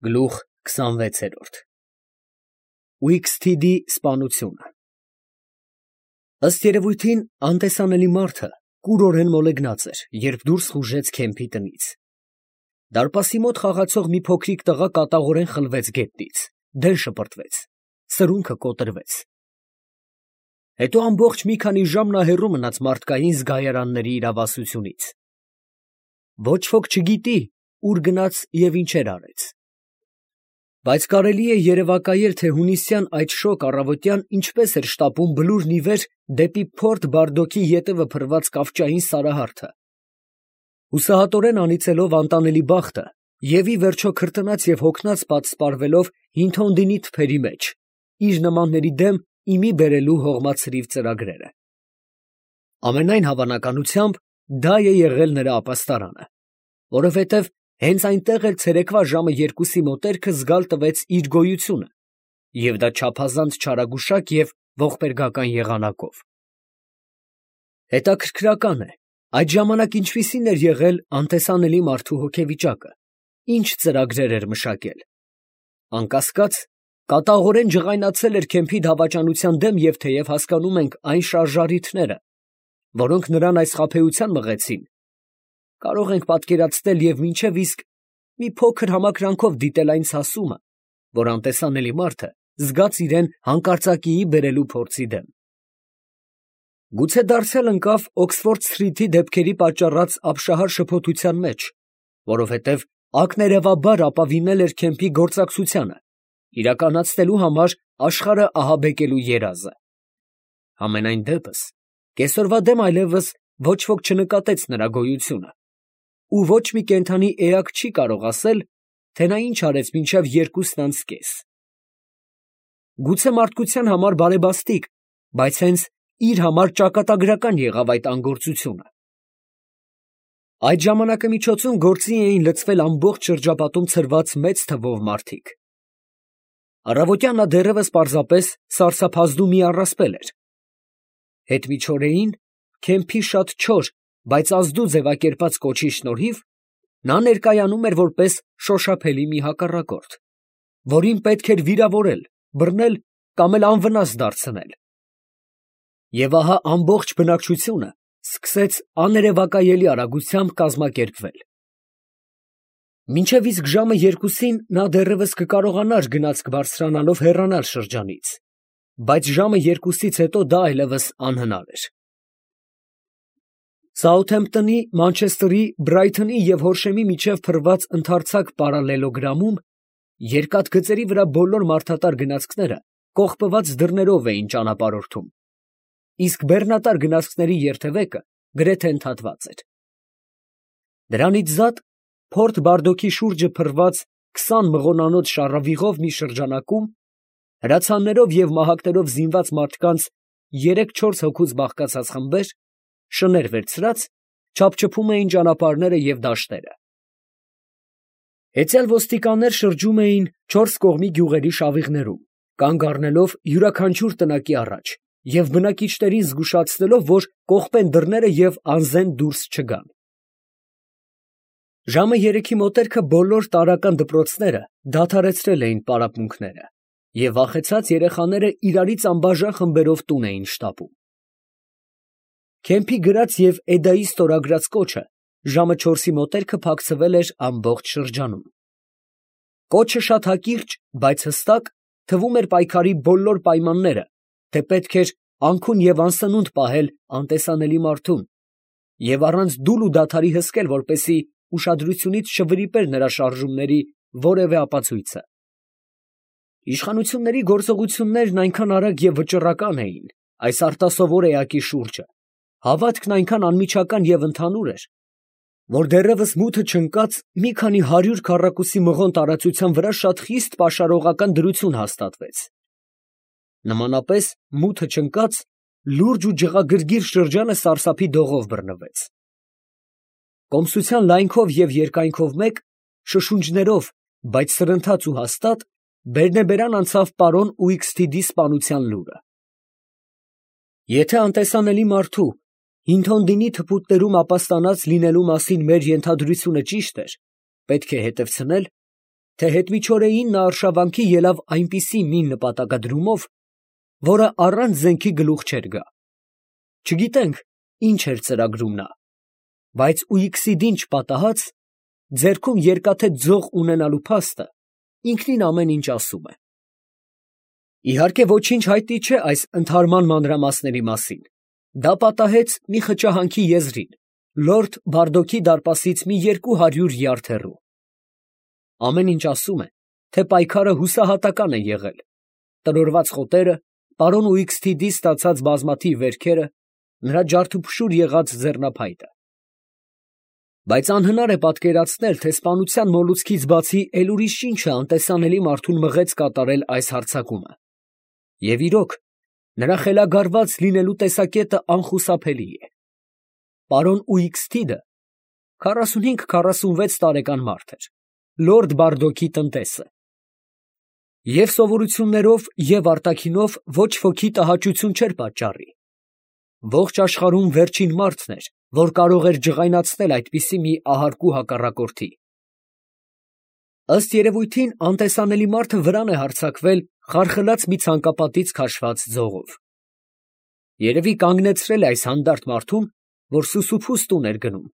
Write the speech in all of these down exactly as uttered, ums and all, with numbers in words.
Գլուխ քսանվեցերորդ Ուիքսթիդի սպանությունը Ըստ երևույթին անտեսանելի մարդը կուրորեն մոլեգնած էր, երբ դուրս խուժեց քեմփի տնից. դարպասի մոտ խաղացող մի փոքրիկ տղա կատաղորեն խլվեց գետնից, դեն շպրտվեց, սրունքը կոտրվեց. հետո ամբողջ մի քանի ժամ նա հեռու մնաց մարդկային զգայարանների իրավասությունից. ոչ ոք չգիտի ուր գնաց և ինչեր արեց. Բայց կարելի է երևակայել, թե հունիսյան այդ շոգ առավոտյան ինչպես էր շտապում բլուրն ի վեր դեպի Փորթ Բարդոքի ետևը փռված կավճային սարահարթը, հուսահատորեն անիծելով անտանելի բախտը և ի վերջո քրտնած և հոգնած պատսպարվելով Հինթոնդինի թփերի մեջ, իր նմանների դեմ ի մի բերելու հողմացրիվ ծրագրերը։ Ամենայն հավանականությամբ դա է եղել նրա ապաստարանը, որովհետև հենց այնտեղ էլ ցերեկվա ժամը երկուսի մոտերքը զգալ տվեց իր գոյությունը, և դա չափազանց չարագուշակ և ողբերգական եղանակով։ Հետաքրքրական է, այդ ժամանակ ինչպիսին էր եղել անտեսանելի մարդու հոգեվիճակը, ինչ ծրագրեր էր մշակել. անկասկած, կատաղորեն ջղայնացել էր քեմփի դավաճանության դեմ և թեև հասկանում ենք այն շարժառիթները, որոնք նրան այս խաբեության մղեցին, կարող ենք պատկերացնել և մինչև իսկ մի փոքր համակրանքով դիտել այն ցասումը, որ անտեսանելի մարդը զգաց իրան հանկարծակիի բերելու փորձի դեմ։ Գուցե դարձյալ ընկավ Օքսֆորդ Սթրիթի դեպքերի պատճառած ապշահար շփոթության մեջ, որովհետև ակներևաբար ապավինել էր քեմփի գործակցությանը, իրականացնելու համար աշխարհը ահաբեկելու երազը։ Համենայն դեպս, կեսօրվա դեմ այլևս ոչ ոք չնկատեց նրա գոյությունը, ու ոչ մի կենդանի էակ չի կարող ասել, թե նա ինչ արեց մինչև երկուսն անց կես։ Գուցե մարդկության համար բարեբաստիկ, բայց հենց իր համար ճակատագրական եղավ այդ անգործությունը։ Այդ ժամանակամիջոցում գործի էին լցվել ամբողջ շրջապատում ցրված մեծ թվով մարդիկ։ Առավոտյան նա դեռևս պարզապես սարսափազդու մի առասպել էր։ Հետմիջօրեին քեմփի շատ չոր, բայց ազդու ձևակերպած կոչի շնորհիվ նա ներկայանում էր որպես շոշափելի մի հակառակորդ, որին պետք էր վիրավորել, բռնել կամ էլ անվնաս դարձնել։ Եվ ահա ամբողջ բնակչությունը սկսեց աներևակայելի արագությամբ կազմակերպվել։ Մինչև իսկ ժամը երկուսին նա դեռևս կկարողանար գնացք բարձրանալով հեռանալ շրջանից, բայց ժամը երկուսից հետո դա այլևս անհնար էր։ Սաութհեմփթոնի, Մանչեսթերի, Բրայթոնի և Հորշեմի միջև փռված ընդարձակ պարալելոգրամում երկաթգծերի վրա բոլոր մարդատար գնացքները կողպված դռներով էին ճանապարհորդում, իսկ բեռնատար գնացքների երթևեկը գրեթե ընդհատված էր։ Դրանից զատ Փորթ Բարդոքի շուրջը փռված քսան մղոնանոց շառավիղով մի շրջանակում հրացաններով և մահակներով զինված մարդկանց երեք֊չորս հոգուց բաղկացած խմբեր, շներ վերցրած, չափչփում էին ճանապարհները և դաշտերը։ Հեծյալ ոստիկաններ շրջում էին չորս կողմի գյուղերի շավիղներում, կանգ առնելով յուրաքանչյուր տնակի առաջ և բնակիչներին զգուշացնելով, որ կողպեն դռները և անզեն դուրս չգան։ Ժամը երեքի մոտերքը բոլոր տարրական դպրոցները դադարեցրել էին պարապմունքները, և վախեցած երեխաները իրարից անբաժան խմբերով տուն էին շտապում։ Քեմփի գրած և Էդայի ստորագրած կոչը ժամը չորսի մոտերքը փակցվել էր ամբողջ շրջանում։ Կոչը շատ հակիրճ, բայց հստակ, թվում էր պայքարի բոլոր պայմանները, թե պետք էր անքուն և անսնունդ պահել անտեսանելի մարդուն և առանց դուլ ու դադարի հսկել, որպեսզի ուշադրությունից չվրիպեր նրա շարժումների որևէ ապացույցը։ Իշխանությունների գործողություններն այնքան արագ և վճռական էին այս արտասովոր էակի շուրջը, հավատքն այնքան անմիջական և ընդհանուր էր, որ դեռևս մութը չընկած մի քանի հարյուր քառակուսի մղոն տարածության վրա շատ խիստ պաշարողական դրություն հաստատվեց։ Նմանապես մութը չընկած լուրջ ու ջղագրգիռ շրջանը սարսափի դողով բռնվեց։ Կոմսության լայնքով և երկայնքով մեկ, շշունջներով, բայց սրընթաց ու հաստատ, բերնեբերան անցավ պարոն Ուիքսթիդի սպանության լուրը։ Եթե անտեսանելի մարդու Հինթոնդինի թփուտներում ապաստանած լինելու մասին մեր ենթադրությունը ճիշտ էր, պետք է հետևցնել, թե հետմիջօրեին նա արշավանքի ելավ այնպիսի մի նպատակադրումով, որը առանց զենքի գլուխ չէր գա։ Չգիտենք ինչ էր ծրագրում նա, բայց Ուիքսիդին չպատահած, ձեռքում երկաթե ձող ունենալու փաստը ինքնին ամեն ինչ ասում է։ Իհարկե ոչինչ հայտնի չէ այս ընդհարման մանրամասների մասին. դա պատահեց մի խճահանքի եզրին, լորդ Բարդոքի դարպասից մի երկու հարյուր յարդ հեռու։ Ամեն ինչ ասում է, թե պայքարը հուսահատական է եղել, տրորված խոտերը, պարոն Ուիքսթիդից ստացած բազմաթիվ վերքերը, նրա ջարդուփշուր եղած ձեռնափայտը։ Բայց անհնար է պատկերացնել, թե սպանության մոլուցքից բացի էլ ուրիշ ինչը անտեսանելի մարդուն մղեց կատարել այս հարձակումը։ Եվ իրոք, նրա խելագարված լինելու տեսակետը անխուսափելի է։ Պարոն Ուիքսթիդը քառասունհինգ քառասունվեց տարեկան մարդ էր, լորդ Բարդոքի տնտեսը։ Եվ սովորություններով, և արտաքինով ոչ ոքի տհաճություն չէր պատճառի։ Ողջ աշխարհում վերջին մարդն էր, որ կարող էր ջղայնացնել այդպիսի մի ահարկու հակառակորդի։ Ըստ երևույթին, անտեսանելի մարդը վրան է հարձակվել խարխլած մի ցանկապատից քաշված ձողով։ Երևի կանգնեցրել է այս հանդարտ մարդուն, որ սուսուփուս տուն էր գնում,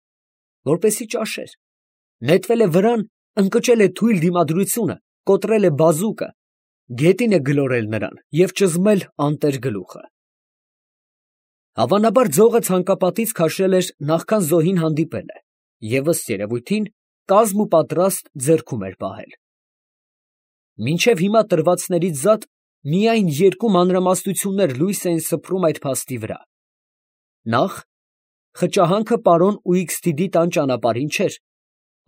որպեսզի ճաշեր, նետվել է վրան, ընկճել է թույլ դիմադրությունը, կոտրել է բազուկը, գետին է գլորել նրան և ճզմել անտեր գլուխը։ Հավանաբար ձողը ցանկապատից քաշել էր նախքան զոհին հանդիպելը և ըստ երևույթին կազմ ու պատրաստ ձեռքում էր պահել։ Մինչև հիմա տրվածներից զատ միայն երկու մանրամասնություններ լույս էին սփռում այդ փաստի վրա. նախ, խճահանքը պարոն Ուիքսթիդի տան ճանապարհին չէր,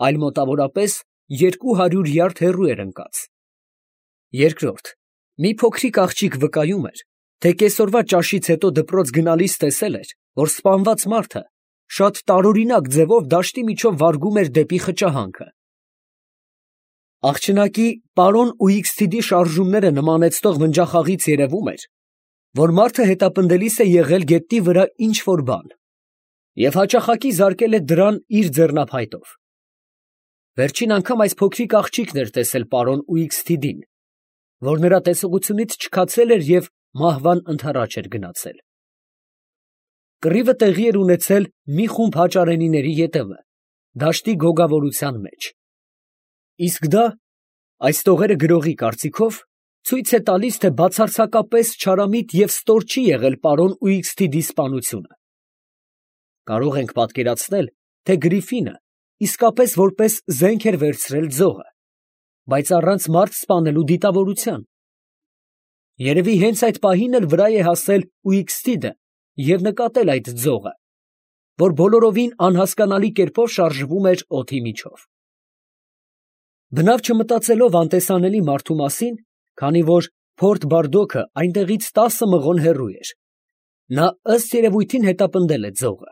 այլ մոտավորապես երկու հարյուր յարդ հեռու էր ընկած։ Երկրորդ, մի փոքրիկ աղջիկ վկայում էր, թե կեսօրվա ճաշից հետո դպրոց գնալիս տեսել էր, որ սպանված մարդը շատ տարօրինակ ձևով դաշտի միջով վարգում էր դեպի խճահանքը։ Աղջնակի պարոն Ուիքսթիդի շարժումները նմանեցնող վնջախաղից երևում էր, որ մարդը հետապնդելիս է եղել գետնի վրա ինչ֊որ բան և հաճախակի զարկել է դրան իր ձեռնափայտով։ Վերջին անգամ այս փոքրիկ աղջիկն էր տեսել պարոն Ուիքսթիդին, որ նրա տեսողությունից չքացել էր և մահվան ընդառաջ էր գնացել։ Կռիվը տեղի էր ունեցել մի խումբ հաճարենիների ետևը, դաշտի գոգավորության մեջ։ Իսկ դա, այս տողերը գրողի կարծիքով, ցույց է տալիս, թե բացարձակապես չարամիտ և ստոր չի եղել պարոն Ուիքսթիդի սպանությունը։ Կարող ենք պատկերացնել, թե Գրիֆինը իսկապես որպես զենք էր վերցրել ձողը, բայց առանց մարդ սպանելու դիտավորության։ Երևի հենց այդ պահին էլ վրա է հասել Ուիքսթիդը և նկատել այդ ձողը, որ բոլորովին անհասկանալի կերպով շարժվում էր օդի միջով։ Բնավ չմտածելով անտեսանելի մարդու մասին, քանի որ Փորտ Բարդոքը այնտեղից տասը մղոն հեռու էր, նա ըստ երևույթին հետապնդել է ձողը։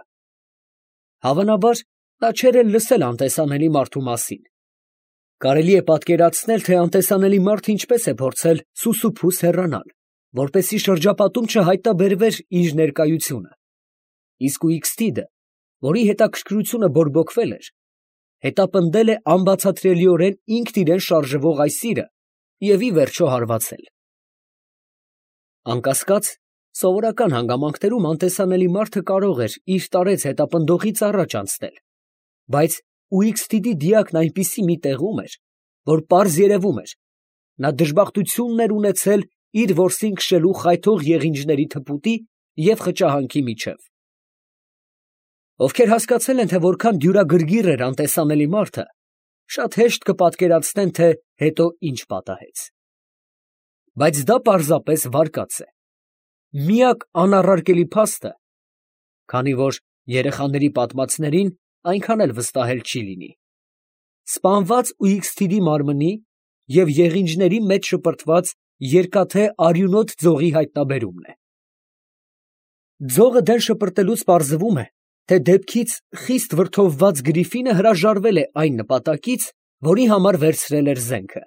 Հավանաբար, նա չէր էլ լսել անտեսանելի մարդու մասին։ Կարելի է պատկերացնել, թե անտեսանելի մարդը ինչպես է փորձել սուսուփուս հեռանալ, որպեսզի շրջապատում չհայտնաբերվեր իր ներկայությունը։ Իսկ Ուիքսթիդը, որի հետաքրքրությունը բորբոքվել էր, հետապնդել է անբացատրելիորեն ինքն իրան շարժվող այս իրը և ի վերջո հարվածել։ Անկասկած, սովորական հանգամանքներում անտեսանելի մարդը կարող էր իր տարեց հետապնդողից առաջ անցնել, բայց Ուիքսթիդի դիակն այնպիսի մի տեղում էր, որ պարզ երևում էր, նա դժբախտությունն էր ունեցել իր որսին քշելու խայթող եղինջների թփուտի և խճահանքի միջև։ Ովքեր հասկացել են, թե որքան դյուրագրգիռ էր անտեսանելի մարդը, շատ հեշտ կպատկերացնեն, թե հետո ինչ պատահեց։ Բայց դա պարզապես վարկած է։ Միակ անառարկելի փաստը, քանի որ երեխաների պատմածներին այնքան էլ վստահել չի լինի, սպանված Ուիքսթիդի մարմնի և եղինջների մեջ շպրտված երկաթե արյունոտ ձողի հայտնաբերումն է։ Ձողը դեն շպրտելուց պարզվում է, թե դեպքից խիստ վրդովված Գրիֆինը հրաժարվել է այն նպատակից, որի համար վերցրել էր զենքը։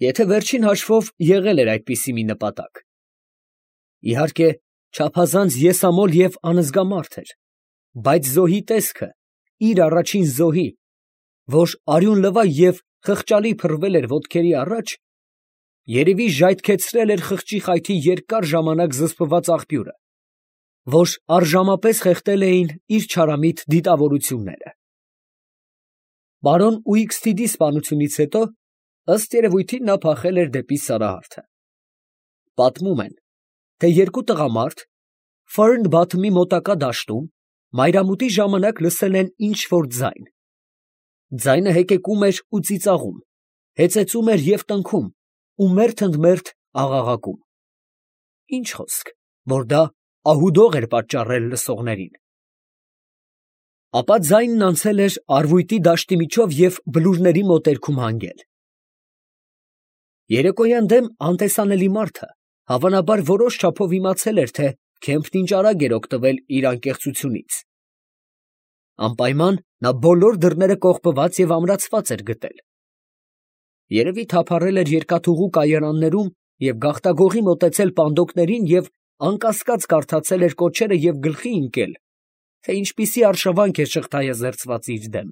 Եթե վերջին հաշվով եղել էր այդպիսի մի նպատակ։ Իհարկե, չափազանց եսամոլ և անզգա մարդ էր, բայց զոհի տեսքը, իր առաջին զոհի, որ արյուն լվա և խղճալի փռվել էր ոտքերի առաջ, երևի ժայթքեցրել էր խղճի խայթի երկար ժամանակ զսպված աղբյուրը, որ առժամապես խեղդել էին իր չարամիտ դիտավորությունները։ Պարոն Ուիքսթիդի սպանությունից հետո, ըստ երևույթին, նա փախել էր դեպի Սարահարթը։ Պատմում են, թե երկու տղամարդ Ֆըրն Բաթումի մոտակա դաշտում մայրամուտի ժամանակ լսել են ինչ֊որ ձայն. ձայնը հեկեկում էր ու ծիծաղում, հեծեծում էր և տնքում ու մերթ ընդ մերթ աղաղակում. ինչ խոսք, որ դա ահուդող էր պատճառել լսողներին։ Ապա ձայնն անցել էր Արվույտի դաշտի միջով և բլուրների մոտերքում հանգել։ Երեկոյան դեմ անտեսանելի մարդը հավանաբար որոշ չափով իմացել էր, թե Քեմփն ինչ արագ էր օգտվել իր անկեղծությունից։ Անպայման նա բոլոր դռները կողպված և ամրացված էր գտել։ Երևի թափառել էր երկաթուղու կայարաններում և գաղտագողի մոտեցել պանդոկներին և անկասկած կարդացել էր կոչերը և գլխի ընկել, թե ինչպիսի արշավանք է շղթայեզերծված իր դեմ։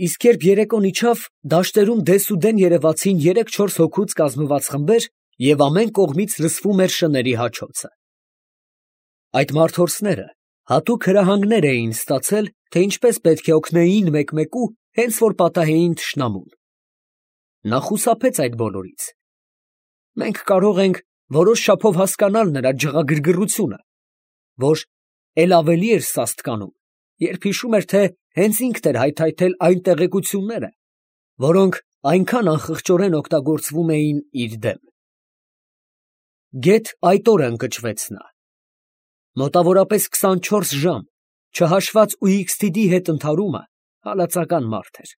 Իսկ երբ երեկոն իջավ, դաշտերում դեսուդեն երևացին երեք֊չորս հոգուց կազմված խմբեր և ամեն կողմից լսվում էր շների հաչոցը։ Այդ մարդորսները հատուկ հրահանգներ էին ստացել, թե ինչպես պետք է օգնեին մեկ֊մեկու, հենց որ պատահեին թշնամուն։ Նա խուսափեց այդ բոլորից։ Մենք կարող ենք որոշ չափով հասկանալ նրա ջղագրգռությունը, որ էլ ավելի էր սաստկանում, երբ հիշում էր, թե հենց ինքն էր հայթայթել այն տեղեկությունները, որոնք այնքան անխղճորեն օգտագործվում էին իր դեմ։ Գեթ այդ օրը ընկճվեց նա։ Մոտավորապես քսանչորս ժամ, չհաշված Ուիքսթիդի հետ ընդհարումը, հալածական մարդ էր։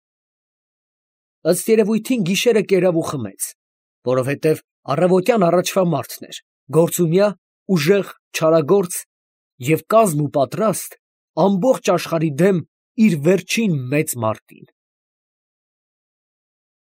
Ըստ երևույթին գիշերը կերավ ու խմեց, որովհետև առավոտյան առաջվա մարդն էր, գործունյա, ուժեղ, չարագործ և կազմ ու պատրաստ ամբողջ աշխարհի դեմ իր վերջին մեծ մարտին։